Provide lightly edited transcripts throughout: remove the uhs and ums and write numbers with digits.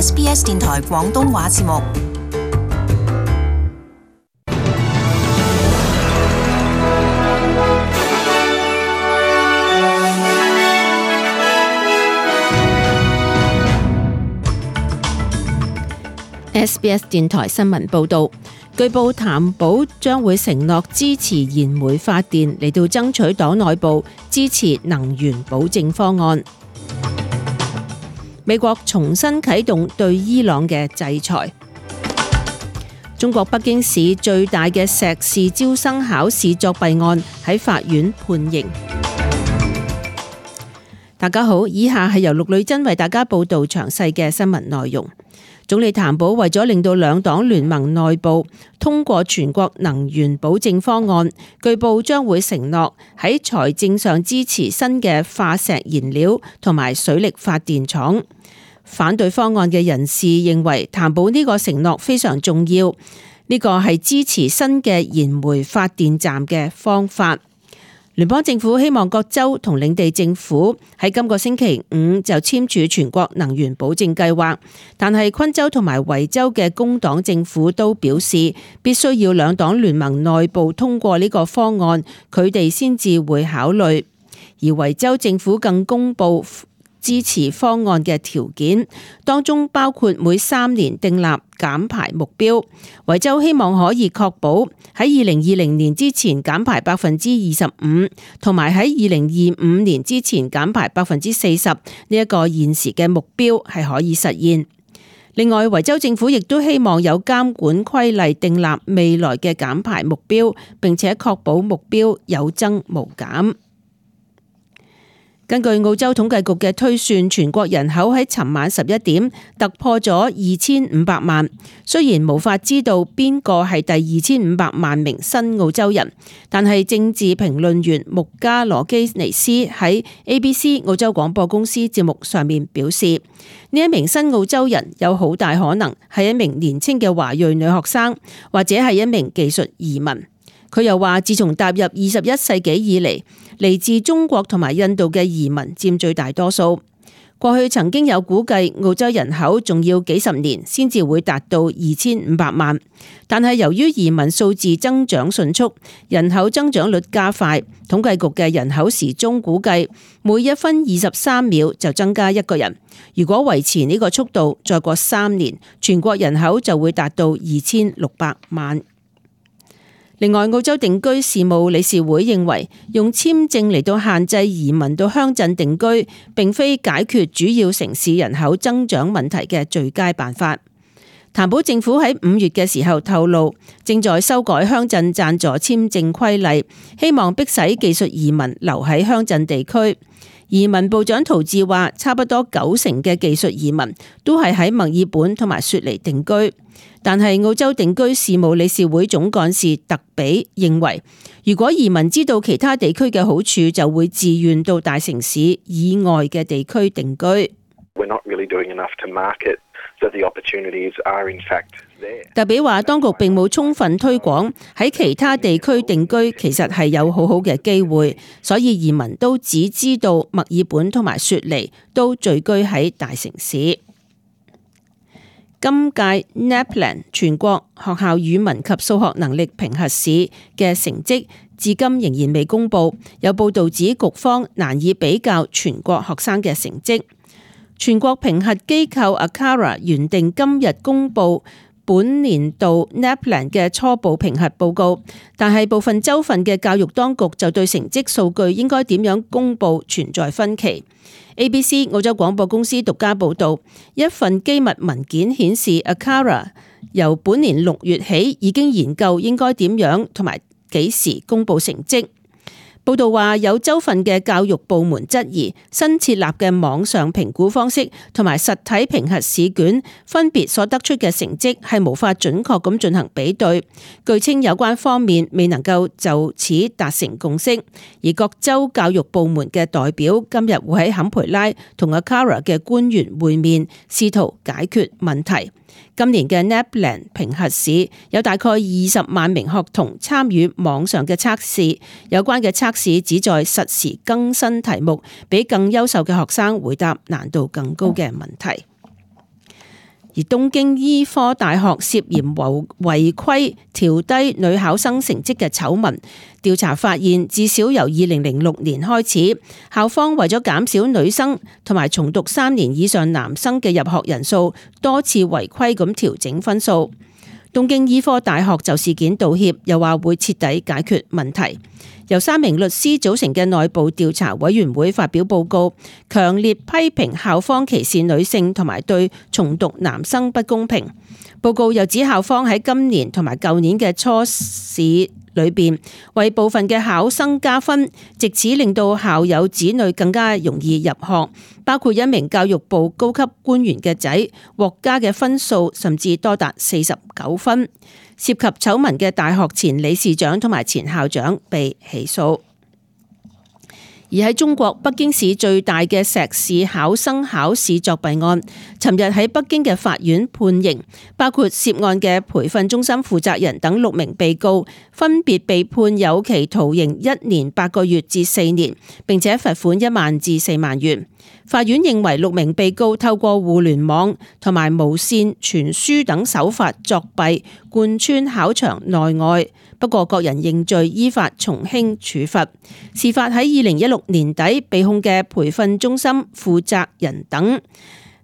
SBS 電台廣東話節目。SBS 電台新聞報導，據報譚寶將會承諾支持燃煤發電嚟到爭取黨內部支持能源保證方案。美國重新啟動對伊朗嘅制裁。中國北京市最大嘅碩士招生考試作弊案喺法院判刑。大家好，以下係由陸女真為大家報導詳細嘅新聞內容。總理譚寶為咗令到兩黨聯盟內部通過全國能源保證方案，據報將會承諾喺財政上支持新嘅化石燃料同埋水力發電廠。反對方案嘅人士認為譚寶呢個承諾非常重要，呢個係支持新嘅燃煤發電站嘅方法。聯邦政府希望各州同領地政府喺今個星期五就簽署全國能源保證計劃，但係昆州同埋維州嘅工黨政府都表示必須要兩黨聯盟內部通過呢個方案，佢哋先至會考慮。而維州政府更公布支持方案嘅條件，當中包括每3年訂立減排目標。維州希望可以確保喺2020年之前減排25%，同埋喺2025年之前減排40%，呢一個現時嘅目標係可以實現。另外，維州政府亦都希望有監管規例訂立未來嘅減排目標，並且確保目標有增無減。根據澳洲統計局嘅推算，全國人口喺尋晚11點突破咗2500萬。雖然無法知道邊個係第2500萬名新澳洲人，但係政治評論員穆加羅基尼斯喺 ABC 澳洲廣播公司節目上面表示，呢一名新澳洲人有好大可能係一名年輕嘅華裔女學生，或者係一名技術移民。佢又話，自從踏入21世紀以嚟，嚟自中國同埋印度嘅移民佔最大多數。過去曾經有估計澳洲人口仲要幾十年先至會達到2500萬，但係由於移民數字增長迅速，人口增長率加快，統計局嘅人口時鐘估計每1分23秒就增加一個人。如果維持呢個速度，再過3年，全國人口就會達到2600萬。另外，澳洲定居事務理事會認為，用簽證嚟到限制移民到鄉鎮定居，並非解決主要城市人口增長問題嘅最佳辦法。譚寶政府喺5月嘅時候透露，正在修改鄉鎮贊助簽證規例，希望迫使技術移民留喺鄉鎮地區。移民部長陶治話，差不多90%嘅技術移民都係喺墨爾本同埋雪梨定居。但係澳洲定居事務理事會總幹事特比認為，如果移民知道其他地區嘅好處，就會自願到大城市以外嘅地區定居。特比話，當局並冇充分推廣喺其他地區定居，其實係有好好嘅機會，所以移民都只知道墨爾本同埋雪梨都聚居喺大城市。今屆 NAPLAN 全國學校語文及數學能力評核試嘅成績至今仍然未公布，有報導指局方難以比較全國學生嘅成績。全國評核機構 ACARA 原定今日公布本年度 NAPLAN 嘅初步評核報告，但係部分州份嘅教育當局就對成績數據應該點樣公布存在分歧。ABC 澳洲廣播公司獨家報導，一份機密文件顯示 ACARA 由本年6月起已經研究應該點樣同埋幾時公布成績。報道話，有州份嘅教育部門質疑新設立嘅網上評估方式同埋實體評核試卷分別所得出嘅成績係無法準確咁進行比對。據稱有關方面未能夠就此達成共識，而各州教育部門嘅代表今日會喺坎培拉同 ACARA 嘅官員會面，試圖解決問題。今年嘅 NAPLAN 評核試有大概20萬名學童參與網上嘅測試，有關嘅測試旨在實時更新題目，俾更優秀嘅學生回答難度更高嘅問題。而東京醫科大學涉嫌違規調低女考生成績嘅醜聞，調查發現至少由2006年開始，校方為咗減少女生同埋重讀3年以上男生嘅入學人數，多次違規咁調整分數。東京醫科大學就事件道歉，又話會徹底解決問題。由3名律師組成嘅內部調查委員會發表報告，強烈批評校方歧視女性同埋對重讀男生不公平。報告又指校方喺今年同埋舊年嘅初試裏邊為部分嘅考生加分，藉此令到校友子女更加容易入學，包括一名教育部高級官員嘅仔獲加嘅分數甚至多達49分。涉及醜聞嘅大學前理事長同埋前校長被起訴。而喺中國北京市最大嘅碩士考生考試作弊案，尋日喺北京嘅法院判刑，包括涉案嘅培訓中心負責人等6名被告，分別被判有期徒刑1年8個月至4年，並且罰款1萬至4萬元。法院認為6名被告透過互聯網同埋無線傳輸等手法作弊，貫穿考場內外。不過各人認罪，依法從輕處罰。事發喺2016年底，被控嘅培訓中心負責人等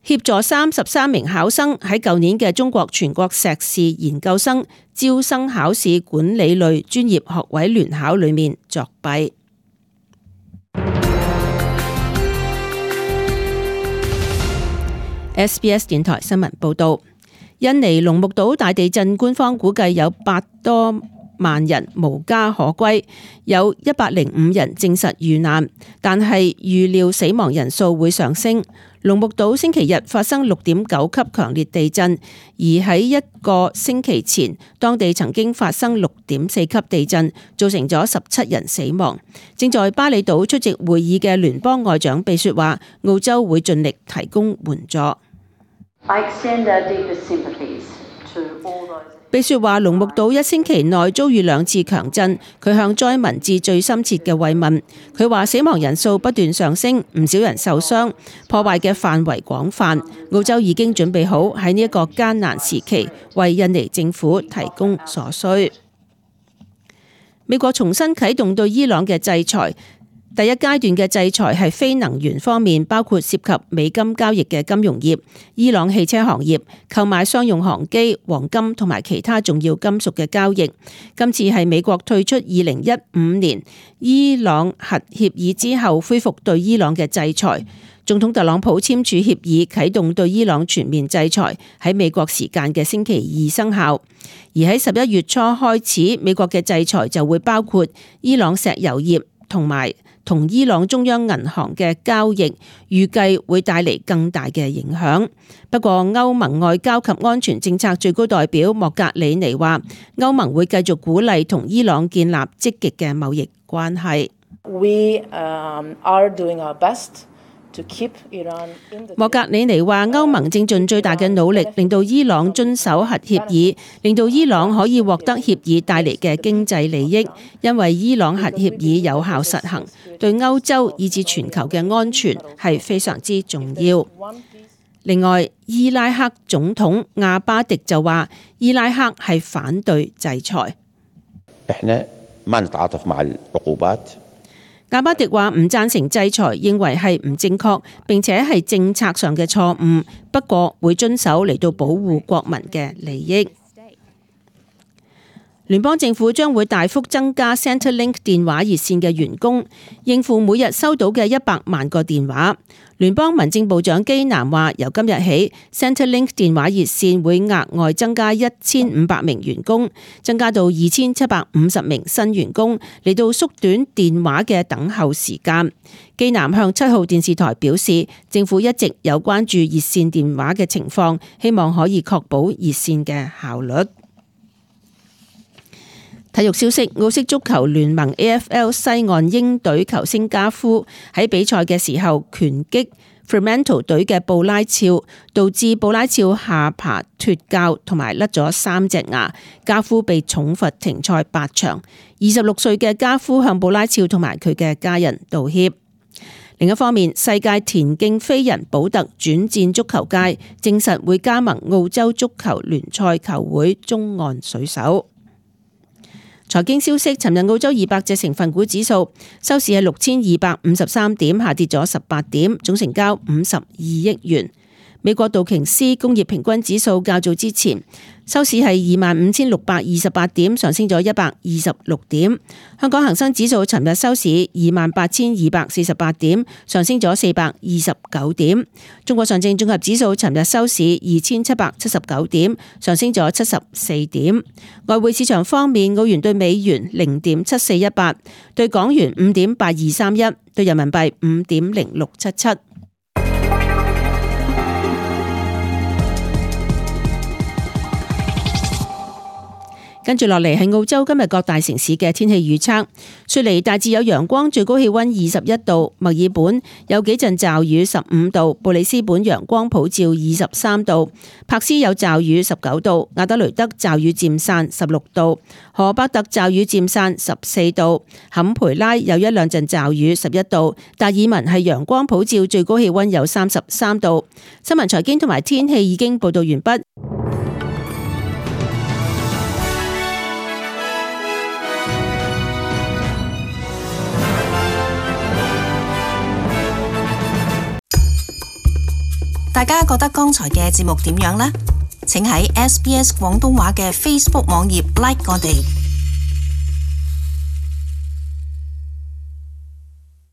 協助33名考生喺舊年嘅中國全國碩士研究生招生考試管理類專業學位聯考裏面作弊。SBS 電台新聞報道，印尼龍目島大地震，官方估計有8多萬人無家可歸，有105人證實遇難，但係預料死亡人數會上升。龍目島星期日發生6.9級強烈地震，而喺1個星期前，當地曾經發生6.4級地震，造成咗17人死亡。正在巴厘島出席會議嘅聯邦外長秘書話，澳洲會盡力提供援助。秘書話，龍目島1星期內遭遇2次強震，佢向災民致最深切嘅慰問。佢話死亡人數不斷上升，唔少人受傷，破壞嘅範圍廣泛。澳洲已經準備好喺呢一個艱難時期為印尼政府提供所需。美國重新啟動對伊朗嘅制裁。第一階段嘅制裁係非能源方面，包括涉及美金交易嘅金融業、伊朗汽車行業、購買商用航機、黃金同埋其他重要金屬嘅交易。今次係美國退出2015年伊朗核協議之後，恢復對伊朗嘅制裁。總統特朗普簽署協議，啟動對伊朗全面制裁，喺美國時間嘅星期2生效。而喺11月初開始，美國嘅制裁就會包括伊朗石油業同伊朗中央銀行嘅交易，預計會帶嚟更大嘅影響。不過歐盟外交及安全政策最高代表莫格里尼話，歐盟會繼續鼓勵同伊朗建立積極嘅貿易關係。莫格里尼話，歐盟正盡最大嘅努力，令到伊朗遵守核協議，令到伊朗可以獲得協議帶嚟嘅經濟利益，因為伊朗核協議有效實行，對歐洲以至全球嘅安全係非常之重要。另外，伊拉克總統阿巴迪就話，伊拉克係反對制裁。阿巴迪話唔贊成制裁，認為係唔正確，並且係政策上嘅錯誤，不過會遵守嚟到保護國民嘅利益。聯邦政府將會大幅增加 Centrelink 電話熱線嘅員工，應付每日收到嘅100萬個電話。聯邦民政部長基南話，由今日起 Centrelink 電話熱線會額外增加1500名員工，增加到2750名新員工，嚟到縮短電話嘅等候時間。基南向7號電視台表示，政府一直有關注熱線電話嘅情況，希望可以確保熱線嘅效率。體育消息，澳式足球聯盟 AFL 西岸鷹隊球星加夫喺比賽嘅時候拳擊 Fremantle 隊嘅布拉肖，導致布拉肖下巴脫臼同埋甩咗3隻牙，加夫被重罰停賽8場。26歲嘅加夫向布拉肖同埋佢嘅家人道歉。另一方面，世界田徑飛人保特轉戰足球界，證實會加盟澳洲足球聯賽球會中岸水手。財經消息，尋日澳洲200隻成分股指數收市係6253點，下跌咗18點，總成交52億元。美國道瓊斯工業平均指數較早之前收市係25,628點，上升咗126點。香港恒生指數尋日收市28,248點，上升咗429點。中國上證綜合指數尋日收市2,779點，上升咗74點。外匯市場方面，澳元對美元0.7418，對港元5.8231，對人民幣5.0677。跟住落嚟係澳洲今日各大城市嘅天氣預測。雪梨大致有陽光，最高氣溫21度；墨爾本有幾陣驟雨15度；布里斯本陽光普照23度；柏斯有驟雨19度；亞德雷德驟雨漸散16度；荷伯特驟雨漸散14度；坎培拉有一兩陣驟雨11度；達爾文係陽光普照，最高氣溫有33度。新聞財經同埋天氣已經報道完畢。大家覺得剛才嘅節目點樣呢？請喺SBS 廣東話嘅 Facebook 網頁 like 我哋。